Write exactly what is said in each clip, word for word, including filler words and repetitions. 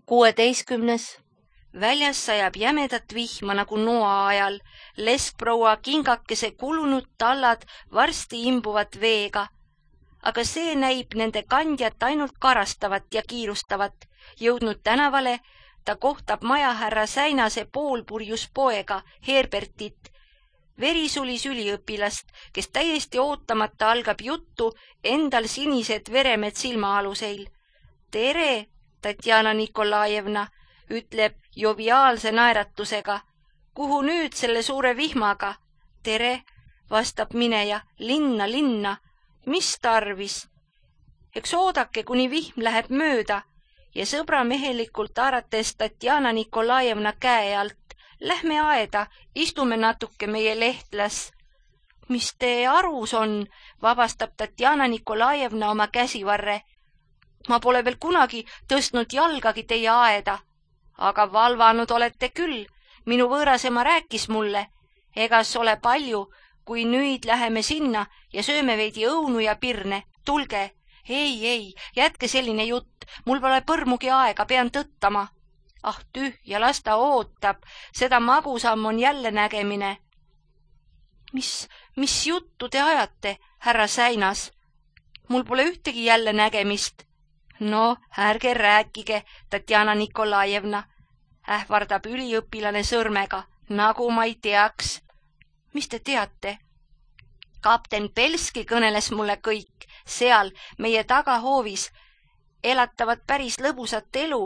kuueteistkümnes. Väljas sajab jämedat vihma nagu noa ajal. Leskproua kingakese kulunud tallad varsti imbuvad veega. Aga see näib nende kandjat ainult karastavat ja kiirustavat. Jõudnud tänavale, ta kohtab majahärra Säinase poolpurjus poega, Herbertit. Verisulis üliõpilast, kes täiesti ootamata algab juttu endal sinised veremed silmaaluseil. Tere, Tatjana Nikolajevna, ütleb joviaalse naeratusega. Kuhu nüüd selle suure vihmaga? Tere, vastab mineja, linna, linna. Mis tarvis? Eks oodake, kuni vihm läheb mööda ja sõbra mehelikult haarates Tatjana Nikolajevna käe alt. Lähme aeda, istume natuke meie lehtlas. Mis te arus on, vabastab Tatjana Nikolajevna oma käsivarre. Ma pole veel kunagi tõstnud jalgagi teie aeda. Aga valvanud olete küll, minu võõrasema rääkis mulle. Egas ole palju, kui nüüd läheme sinna ja sööme veidi õunu ja pirne. Tulge, ei, ei, jätke selline jutt, mul pole põrmugi aega, pean tõttama. Ah tühja, las ta ootab, seda magusam on jälle nägemine. Mis, mis juttu te ajate, härra Säinas? Mul pole ühtegi jälle nägemist. No, ärge rääkige, Tatjana Nikolajevna, ähvardab üliõpilane sõrmega, nagu ma ei teaks. Mis te teate? Kapten Pelski kõneles mulle kõik, seal meie tagahoovis elatavad päris lõbusat elu,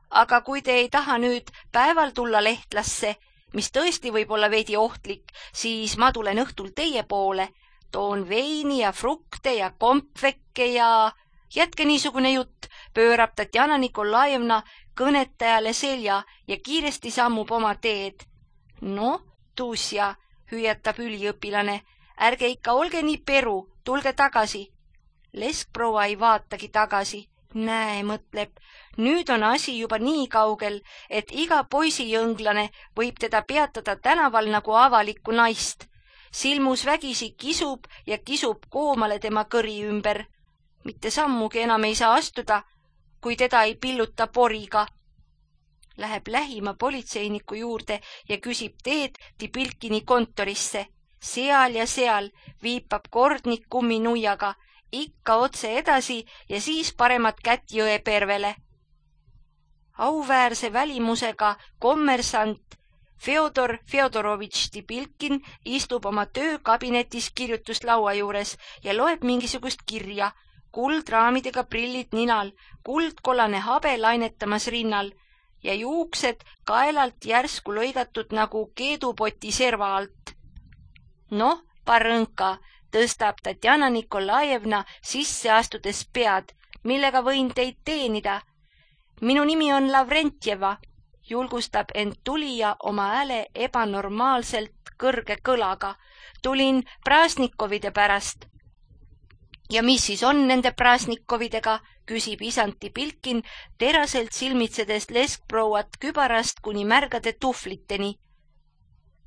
aga kui te ei taha nüüd päeval tulla lehtlasse, mis tõesti võib olla veidi ohtlik, siis ma tulen õhtul teie poole, toon veini ja frukte ja kompvekke ja... Jätke niisugune jutt, pöörab Tatjana Nikolajevna kõnetajale selja ja kiiresti sammub oma teed. No, Tuusja, hüüatab üliõpilane, ärge ikka olge nii peru, tulge tagasi. Leskproua ei vaatagi tagasi. Näe, mõtleb, nüüd on asi juba nii kaugel, et iga poisijõnglane võib teda peatada tänaval nagu avalikku naist. Silmus vägisi kisub ja kisub koomale tema kõri ümber. Mitte sammugi enam ei saa astuda, kui teda ei pilluta poriga. Läheb lähima politseiniku juurde ja küsib teed Tipilkini kontorisse. Seal ja seal viipab kordnik kumminuiaga, ikka otse edasi ja siis paremat kätt Jõepervele. Auväärse välimusega kommersant Feodor Feodorovitš Tipilkin istub oma töökabinetis kirjutuslaua juures ja loeb mingisugust kirja. Kuldraamidega prillid ninal, kuldkollane habe lainetamas rinnal ja juuksed kaelalt järsku lõigatud nagu keedupoti serva alt. Noh, parõnka, tõstab Tatjana Nikolajevna sisse astudes pead, millega võin teid teenida. Minu nimi on Lavrentjeva, julgustab end tulija oma hääle ebanormaalselt kõrge kõlaga. Tulin Prasnikovide pärast. Ja mis siis on nende Prasnikovidega, küsib isand Tipilkin, teraselt silmitsedes leskprouat kübarast kuni märgade tuhvliteni.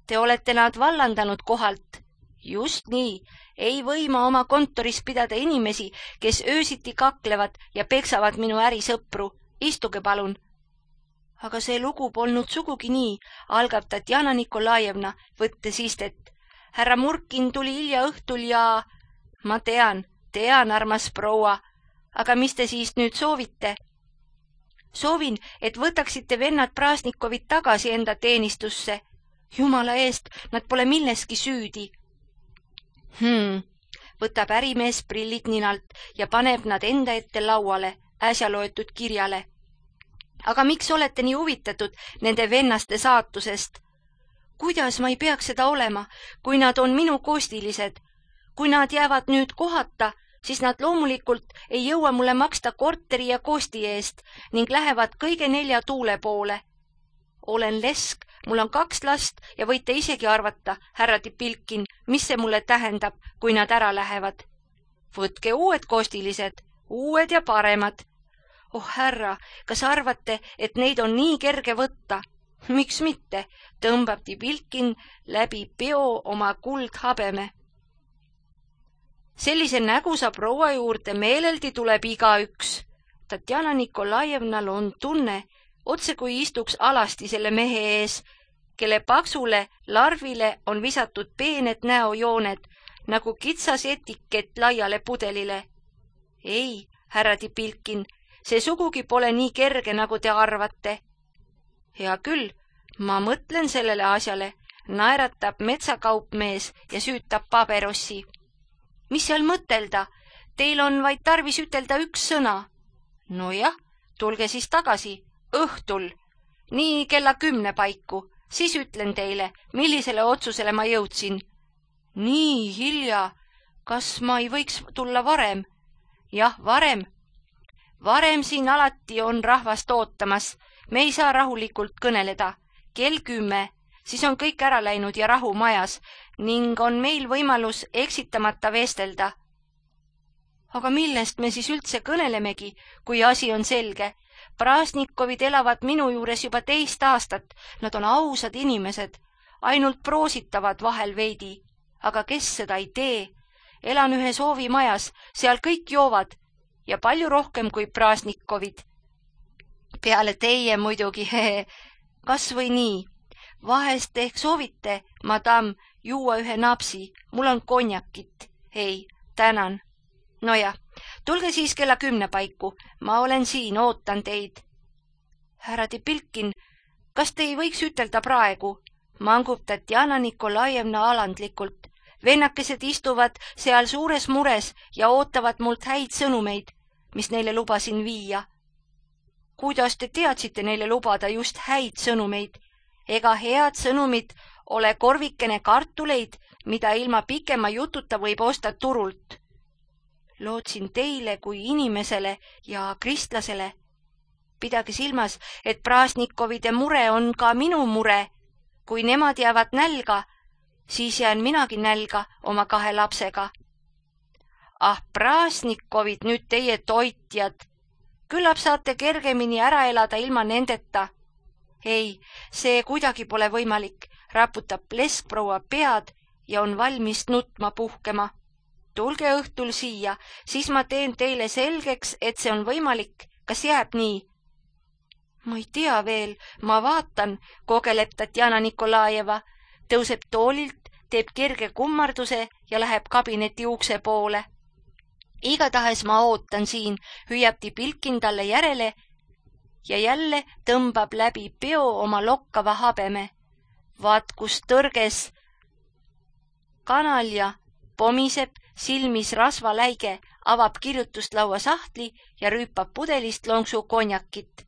Te olete nad vallandanud kohalt. Just nii, ei võima oma kontoris pidada inimesi, kes öösiti kaklevad ja peksavad minu ärisõpru. Istuge palun. Aga see lugu polnud sugugi nii, algab Tatjana Nikolajevna, võttes istet. Härra Murkin tuli hilja õhtul ja... Ma tean, tean, armas proua, aga mis te siis nüüd soovite? Soovin, et võtaksite vennad Prasnikovid tagasi enda teenistusse. Jumala eest, nad pole milleski süüdi. Hmm, võtab ärimees prillid ninalt ja paneb nad enda ette lauale, äsja loetud kirjale. Aga miks olete nii huvitatud nende vennaste saatusest? Kuidas ma ei peaks seda olema, kui nad on minu kostilised? Kui nad jäävad nüüd kohata, siis nad loomulikult ei jõua mulle maksta korteri ja kosti eest ning lähevad kõige nelja tuule poole. Olen lesk, mul on kaks last ja võite isegi arvata, härra Tipilkin, mis see mulle tähendab, kui nad ära lähevad. Võtke uued kostilised, uued ja paremad. Oh härra, kas arvate, et neid on nii kerge võtta? Miks mitte, tõmbab Tipilkin läbi peo oma kuldhabeme. Sellise nägusa proua juurde meeleldi tuleb igaüks. Tatjana Nikolajevnal on tunne, otse kui istuks alasti selle mehe ees, kelle paksule larvile on visatud peened näojooned nagu kitsas etikett laiale pudelile. Ei, härra Tipilkin, see sugugi pole nii kerge, nagu te arvate. Hea küll, ma mõtlen sellele asjale, naeratab metsakaupmees ja süütab paberossi. Mis seal mõtelda? Teil on vaid tarvis ütelda üks sõna. Nojah, tulge siis tagasi, õhtul, nii kella kümne paiku, siis ütlen teile, millisele otsusele ma jõudsin. Nii hilja, kas ma ei võiks tulla varem? Jah, varem. Varem siin alati on rahvast ootamas, me ei saa rahulikult kõneleda. Kell kümme, siis on kõik ära läinud ja rahu majas ning on meil võimalus eksitamata vestelda. Aga millest me siis üldse kõnelemegi, kui asi on selge? Prasnikovid elavad minu juures juba teist aastat, nad on ausad inimesed, ainult proositavad vahel veidi. Aga kes seda ei tee? Elan ühes hoovimajas, seal kõik joovad ja palju rohkem kui Prasnikovid. Peale teie muidugi, hehe, kas või nii. Vahest ehk soovite, madam, juua ühe napsi, mul on konjakit. Ei, tänan. Nojah, tulge siis kella kümne paiku, ma olen siin, ootan teid. Härra Tipilkin, kas te ei võiks ütelda praegu? Mangub Tatjana Nikolajevna alandlikult. Vennakesed istuvad seal suures mures ja ootavad mult häid sõnumeid, mis neile lubasin viia. Kuidas te teadsite neile lubada just häid sõnumeid? Ega head sõnumid ole korvikene kartuleid, mida ilma pikema jututa võib osta turult. Lootsin teile kui inimesele ja kristlasele. Pidage silmas, et Prasnikovide mure on ka minu mure. Kui nemad jäävad nälga, siis jään minagi nälga oma kahe lapsega. Ah, Prasnikovid, nüüd teie toitjad. Küllap saate kergemini ära elada ilma nendeta. Ei, see kuidagi pole võimalik, raputab leskproua pead ja on valmis nutma puhkema. Tulge õhtul siia, siis ma teen teile selgeks, et see on võimalik. Kas jääb nii? Ma ei tea veel, ma vaatan, kogeleb Tatjana Nikolajeva, tõuseb toolilt, teeb kerge kummarduse ja läheb kabineti ukse poole. Igatahes ma ootan siin, hüüab Tipilkin talle järele ja jälle tõmbab läbi peo oma lokkava habeme. Vaat kus tõrges kanalja pomiseb, silmis rasvaläige, avab kirjutuslaua sahtli ja rüüpab pudelist lonksu konjakit.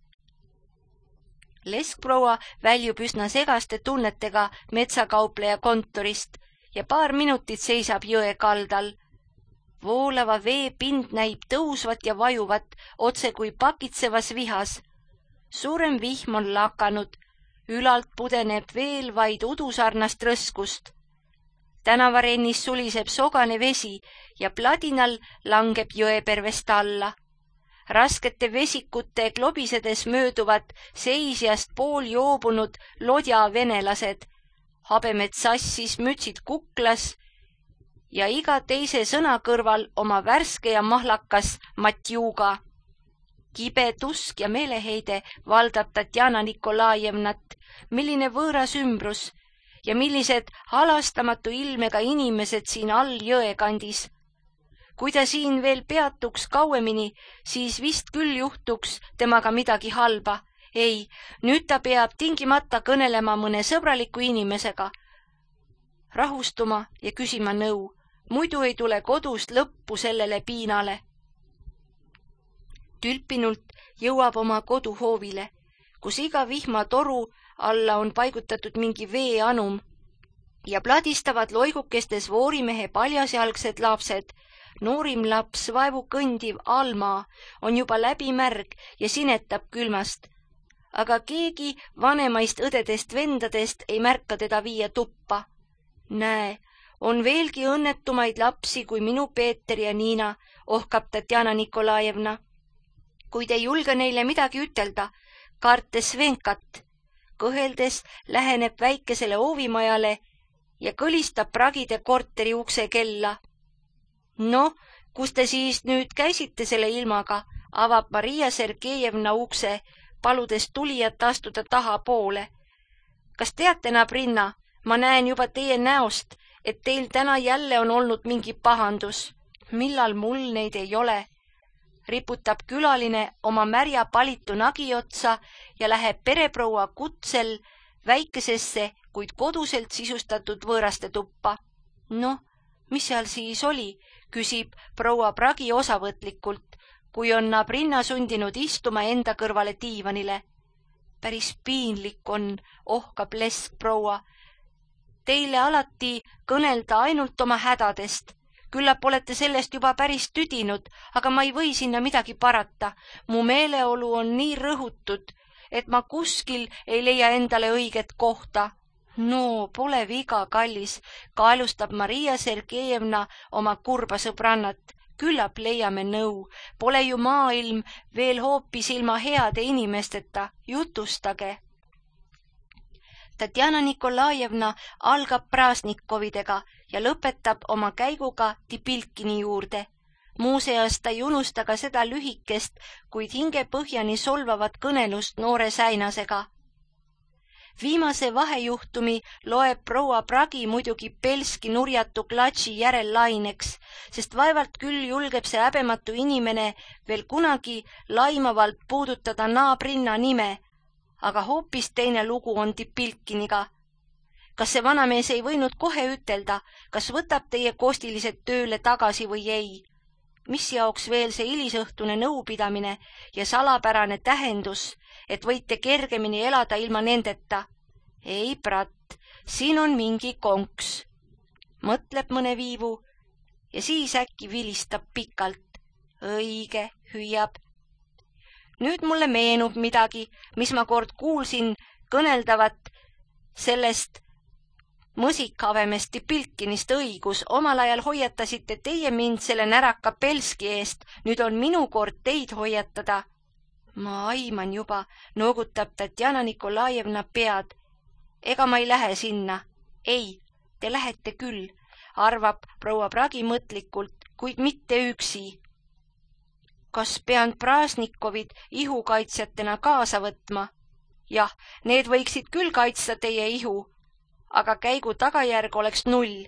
Leskproua väljub üsna segaste tunnetega metsakaupleja kontorist ja paar minutit seisab jõe kaldal. Voolava vee pind näib tõusvat ja vajuvat, otse kui pakitsevas vihas. Suurem vihm on lakanud, ülalt pudeneb veel vaid udusarnast rõskust. Tänavarennis suliseb sogane vesi ja pladinal langeb jõepervest alla. Raskete vesikute klobisedes mööduvad seisjast pool joobunud lodja venelased, habemed sassis, mütsid kuklas ja iga teise sõna kõrval oma värske ja mahlakas matjuga. Kibe tusk ja meeleheide valdab Tatjana Nikolajevnat, milline võõras ümbrus ja millised halastamatu ilmega inimesed siin all jõe kandis. Kui ta siin veel peatuks kauemini, siis vist küll juhtuks temaga midagi halba. Ei, nüüd ta peab tingimata kõnelema mõne sõbraliku inimesega, rahustuma ja küsima nõu, muidu ei tule kodust lõppu sellele piinale. Tülpinult jõuab oma koduhoovile, kus iga vihmatoru alla on paigutatud mingi veeanum ja pladistavad loigukestes voorimehe paljasjalgsed lapsed. Noorim laps, vaevu kõndiv Alma, on juba läbimärg ja sinetab külmast. Aga keegi vanemaist õdedest vendadest ei märka teda viia tuppa. Näe, on veelgi õnnetumaid lapsi kui minu Peeter ja Niina, ohkab Tatjana Nikolajevna. Kui te julge neile midagi ütelda, kartes Venkat, kõheldes läheneb väikesele oovimajale ja kõlistab pragide korteri ukse kella. No, kus te siis nüüd käisite selle ilmaga, avab Maria Sergejevna ukse, paludes tulijat astuda tahapoole. Kas teate, nabrinna, ma näen juba teie näost, et teil täna jälle on olnud mingi pahandus. Millal mul neid ei ole? Riputab külaline oma märja palitu nagi otsa ja läheb pereproua kutsel väikesesse, kuid koduselt sisustatud võõraste tuppa. Noh, mis seal siis oli, küsib proua Pragi osavõtlikult, kui on nabrinna sundinud istuma enda kõrvale diivanile. Päris piinlik on, ohkab lesk proua. Teile alati kõnelda ainult oma hädadest. Küllap olete sellest juba päris tüdinud, aga ma ei või sinna midagi parata. Mu meeleolu on nii rõhutud, et ma kuskil ei leia endale õiget kohta. No, pole viga, kallis, kaelustab Maria Sergejevna oma kurba sõbrannat. Küllap leiame nõu. Pole ju maailm veel hoopis ilma heade inimesteta. Jutustage. Tatjana Nikolajevna algab Prasnikovidega ja lõpetab oma käiguga Tipilkini juurde. Muuseas ta ei unusta ka seda lühikest, kuid hingepõhjani solvavat kõnelust noore säinasega. Viimase vahejuhtumi loeb proua Pragi muidugi Belski nurjatu klatši järel laineks, sest vaevalt küll julgeb see häbematu inimene veel kunagi laimavalt puudutada naabrinna nime, aga hoopis teine lugu on Tipilkiniga. Kas see vanamees ei võinud kohe ütelda, kas võtab teie kostilised tööle tagasi või ei? Mis jaoks veel see hilisõhtune nõupidamine ja salapärane tähendus, et võite kergemini elada ilma nendeta? Ei, brat, siin on mingi konks. Mõtleb mõne viivu ja siis äkki vilistab pikalt. Õige, hüüab. Nüüd mulle meenub midagi, mis ma kord kuulsin kõneldavat sellest mõsikhavemest Tipilkinist õigus. Omal ajal hoiatasite teie mind selle näraka Belski eest, nüüd on minu kord teid hoiatada. Ma aiman juba, noogutab Tatjana Nikolajevna pead. Ega ma ei lähe sinna. Ei, te lähete küll, arvab proua Pragi mõtlikult, kuid mitte üksi. Kas pean Prasnikovid ihukaitsjatena kaasa võtma? Jah, need võiksid küll kaitsta teie ihu, aga käigu tagajärg oleks null.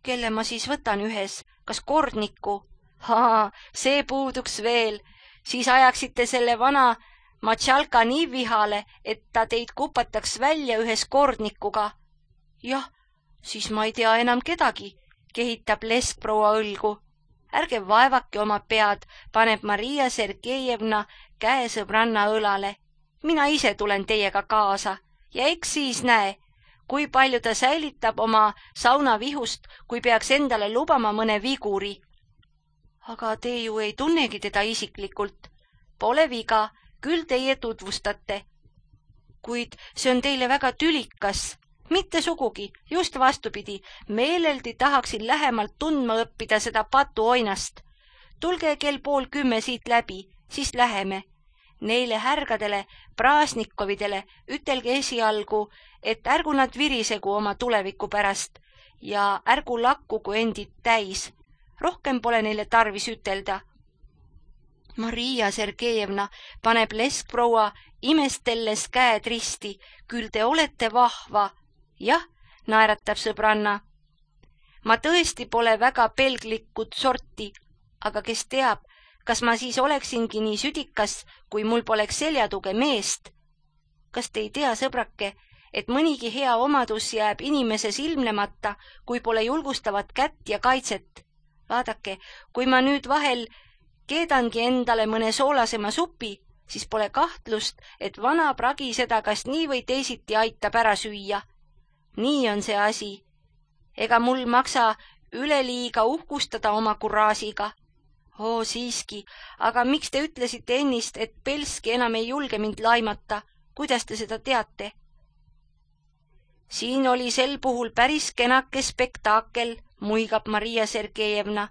Kelle ma siis võtan ühes? Kas kordniku? Haa, see puuduks veel. Siis ajaksite selle vana Matšalka nii vihale, et ta teid kupataks välja ühes kordnikuga. Jah, siis ma ei tea enam kedagi, kehitab lesk proua õlgu. Ärge vaevake oma pead, paneb Maria Sergejevna käe sõbranna õlale. Mina ise tulen teiega kaasa ja eks siis näe, kui palju ta säilitab oma saunavihust, kui peaks endale lubama mõne viguri. Aga te ju ei tunnegi teda isiklikult. Pole viga, küll teie tutvustate. Kuid see on teile väga tülikas. Mitte sugugi, just vastupidi, meeleldi tahaksin lähemalt tundma õppida seda patuoinast. Tulge kell pool kümme siit läbi, siis läheme. Neile härgadele, Prasnikovidele ütelge esialgu, et ärgu nad virisegu oma tuleviku pärast ja ärgu lakkugu endid täis. Rohkem pole neile tarvis ütelda. Maria Sergejevna paneb leskproua imestelles käed risti. Küll te olete vahva. Jah, naeratab sõbranna. Ma tõesti pole väga pelglikud sorti, aga kes teab, kas ma siis oleksingi nii südikas, kui mul poleks seljatuge meest. Kas te ei tea, sõbrake, et mõnigi hea omadus jääb inimeses ilmnemata, kui pole julgustavat kätt ja kaitset? Vaadake, kui ma nüüd vahel keedangi endale mõne soolasema supi, siis pole kahtlust, et vana Pragi seda kas nii või teisiti aitab ära süüa. Nii on see asi. Ega mul maksa üleliiga uhkustada oma kuraasiga. Oo, siiski, aga miks te ütlesite ennist, et Belski enam ei julge mind laimata? Kuidas te seda teate? Siin oli sel puhul päris kenake spektaakel, muigab Maria Sergejevna.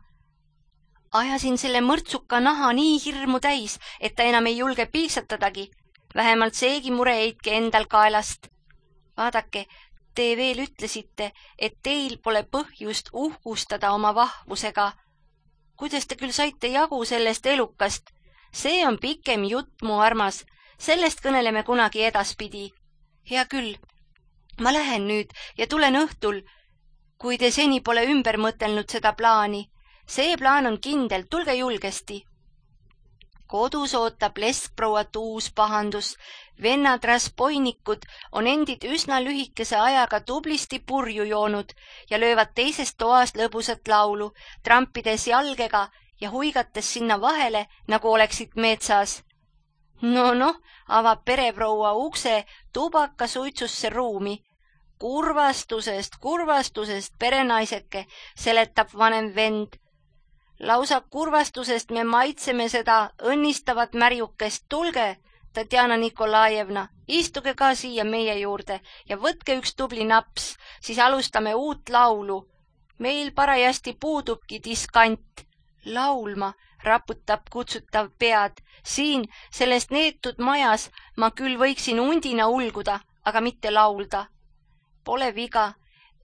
Ajasin selle mõrtsuka naha nii hirmu täis, et ta enam ei julge piiksatadagi. Vähemalt seegi mure heitke endal kaelast. Vaadake, te veel ütlesite, et teil pole põhjust uhkustada oma vahvusega. Kuidas te küll saite jagu sellest elukast? See on pikem jutt, mu armas. Sellest kõneleme kunagi edaspidi. Hea küll, ma lähen nüüd ja tulen õhtul, kui te seni pole ümber mõtelnud seda plaani. See plaan on kindel, tulge julgesti. Kodus ootab leskprouat uus pahandus. Vennad raspoinikud on endid üsna lühikese ajaga tublisti purju joonud ja löövad teisest toast lõbusat laulu, trampides jalgega ja huigates sinna vahele, nagu oleksid metsas. No noh, avab pereproua ukse tubakasuitsusse ruumi. Kurvastusest, kurvastusest, perenaiseke, seletab vanem vend. Lausa kurvastusest me maitseme seda õnnistavat märjukest. Tulge, Tatjana Nikolajevna, istuge ka siia meie juurde ja võtke üks tubli naps, siis alustame uut laulu. Meil parajasti puudubki diskant. Laulma raputab kutsutav pead. Siin, sellest neetud majas, ma küll võiksin undina ulguda, aga mitte laulda. Pole viga,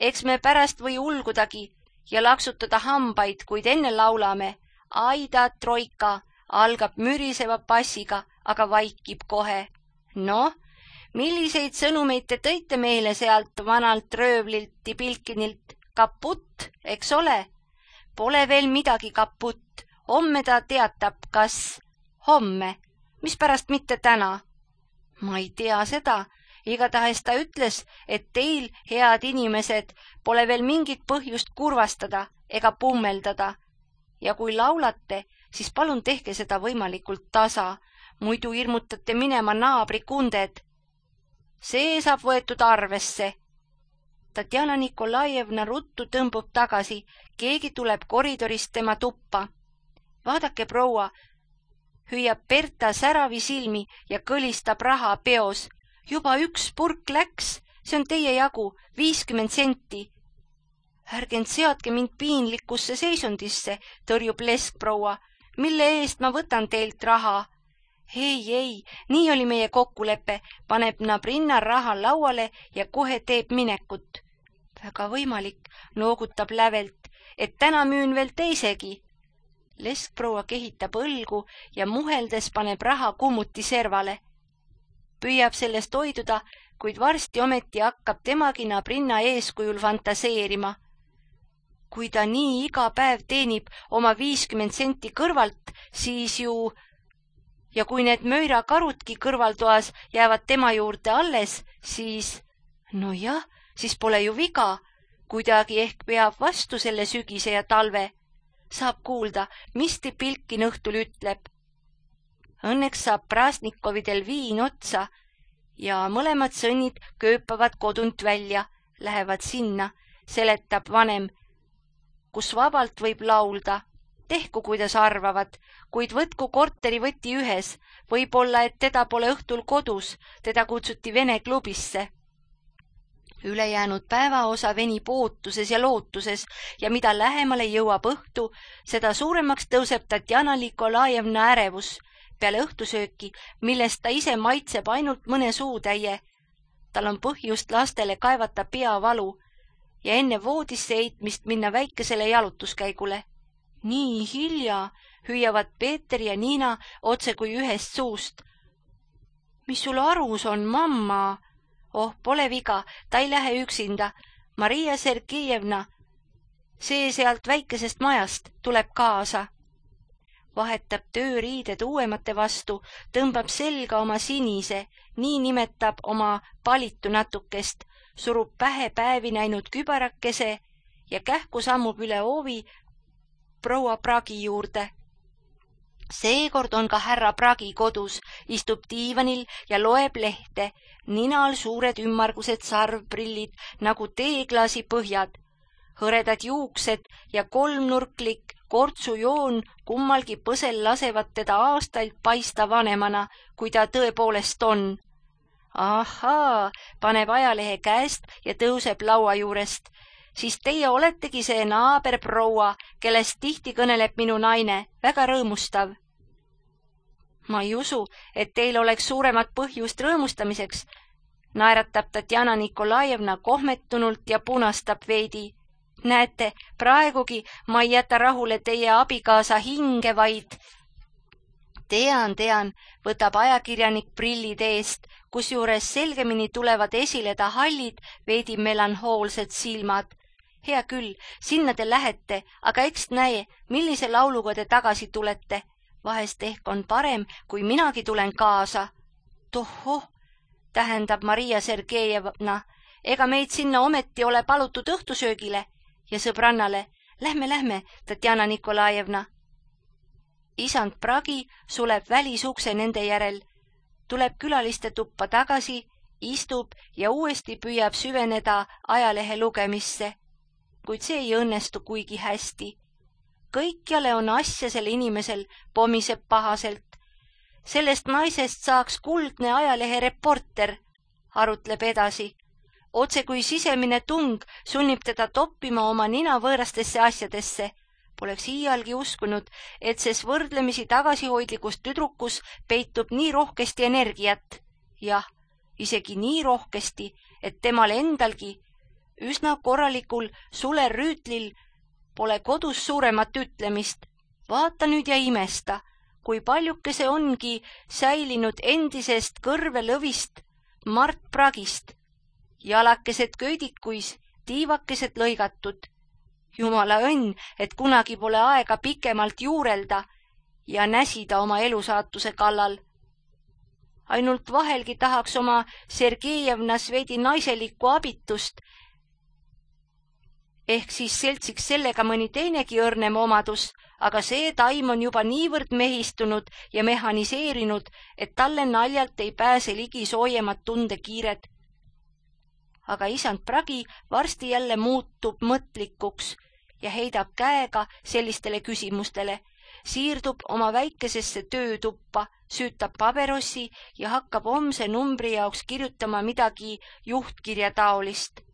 eks me pärast või ulgudagi ja laksutada hambaid, kuid enne laulame. Aida troika algab müriseva passiga, aga vaikib kohe. No, milliseid sõnumeid te tõite meile sealt vanalt röövlilt Tipilkinilt? Kaputt, eks ole? Pole veel midagi kaputt. Homme ta teatab, kas homme, mispärast mitte täna? Ma ei tea seda. Igatahes ta ütles, et teil, head inimesed, pole veel mingit põhjust kurvastada ega pummeldada. Ja kui laulate, siis palun tehke seda võimalikult tasa, muidu hirmutate minema naabri kunded. See saab võetud arvesse. Tatjana Nikolajevna ruttu tõmbub tagasi, keegi tuleb koridorist tema tuppa. Vaadake, proua, hüüab Berta säravi silmi ja kõlistab raha peos. Juba üks purk läks, see on teie jagu, viiskümmend senti. Ärgend seadke mind piinlikusse seisundisse, tõrjub leskproua, mille eest ma võtan teilt raha. Ei, ei, nii oli meie kokkulepe, paneb Nabrinna raha lauale ja kohe teeb minekut. Väga võimalik, noogutab lävelt, et täna müün veel teisegi. Leskproua kehitab õlgu ja muheldes paneb raha kummuti servale. Püüab sellest hoiduda, kuid varsti ometi hakkab temagi Nabrinna eeskujul fantaseerima. Kui ta nii iga päev teenib oma viiskümmend senti kõrvalt, siis ju... Ja kui need möirakarudki kõrvaltoas jäävad tema juurde alles, siis... No jah, siis pole ju viga. Kuidagi ehk peab vastu selle sügise ja talve. Saab kuulda, mis Tipilkin õhtul ütleb. Õnneks saab Prasnikovidel viin otsa ja mõlemad sõnnid kööpavad kodunt välja, lähevad sinna, seletab vanem, kus vabalt võib laulda. Tehku, kuidas arvavad, kuid võtku korteri võti ühes, võib-olla, et teda pole õhtul kodus, teda kutsuti Vene klubisse. Ülejäänud päevaosa venib ootuses ja lootuses ja mida lähemale jõuab õhtu, seda suuremaks tõuseb Tatjana Nikolajevna ärevus peale õhtusööki, millest ta ise maitseb ainult mõne suutäie. Tal on põhjust lastele kaevata peavalu ja enne voodisse heitmist minna väikesele jalutuskäigule. Nii hilja hüüavad Peeter ja Niina otse kui ühest suust. Mis sul arus on, mamma? Oh, pole viga, ta ei lähe üksinda. Maria Sergejevna, see sealt väikesest majast, tuleb kaasa. Vahetab tööriided uuemate vastu, tõmbab selga oma sinise, nii nimetab oma palitu natukest, surub pähe päevi näinud kübarakese ja kähku sammub üle oovi proua Pragi juurde. Seekord on ka härra Pragi kodus, istub diivanil ja loeb lehte, ninal suured ümmargused sarvprillid nagu teeklaasi põhjad, hõredad juuksed ja kolmnurklik kortsujoon kummalgi põsel lasevad teda aastaid paista vanemana, kui ta tõepoolest on. Ahaa, paneb ajalehe käest ja tõuseb laua juurest. Siis teie oletegi see naaberproua, kellest tihti kõneleb minu naine, väga rõõmustav. Ma ei usu, et teil oleks suuremat põhjust rõõmustamiseks, naeratab Tatjana Nikolajevna kohmetunult ja punastab veidi. Näete, praegugi ma ei jäta rahule teie abikaasa hinge, vaid Tean, tean, võtab ajakirjanik prillid eest, kusjuures selgemini tulevad esile ta hallid, veidi melanhoolsed silmad. Hea küll, sinna te lähete, aga eks näe, millise lauluga te tagasi tulete. Vahest ehk on parem, kui minagi tulen kaasa. Tohoh, tähendab Maria Sergejevna, ega meid sinna ometi ole palutud õhtusöögile ja sõbrannale. Lähme, lähme, Tatjana Nikolajevna. Isand Pragi suleb välisukse nende järel, tuleb külaliste tuppa tagasi, istub ja uuesti püüab süveneda ajalehe lugemisse. Kuid see ei õnnestu kuigi hästi. Kõikjale on asja selle inimesel, pomiseb pahaselt. Sellest naisest saaks kuldne ajalehe reporter, arutleb edasi. Otse kui sisemine tung sunnib teda toppima oma nina võõrastesse asjadesse. Poleks iialgi uskunud, et ses võrdlemisi tagasihoidlikus tüdrukus peitub nii rohkesti energiat. Jah, isegi nii rohkesti, et temal endalgi, üsna korralikul sulerüütlil, pole kodus suuremat ütlemist. Vaata nüüd ja imesta, kui paljuke see ongi säilinud endisest kõrvelõvist Mart Pragist. Jalakesed köidikuis, tiivakesed lõigatud. Jumala õnn, et kunagi pole aega pikemalt juurelda ja näsida oma elusaatuse kallal. Ainult vahelgi tahaks oma Sergejevnas veidi naiselikku abitust, ehk siis seltsiks sellega mõni teinegi õrnem omadus, aga see taim on juba niivõrd mehistunud ja mehaniseerinud, et talle naljalt ei pääse ligi soojemad tundekiired. Aga isand Pragi varsti jälle muutub mõtlikuks ja heidab käega sellistele küsimustele, siirdub oma väikesesse töötuppa, süütab paberossi ja hakkab homse numbri jaoks kirjutama midagi juhtkirja taolist.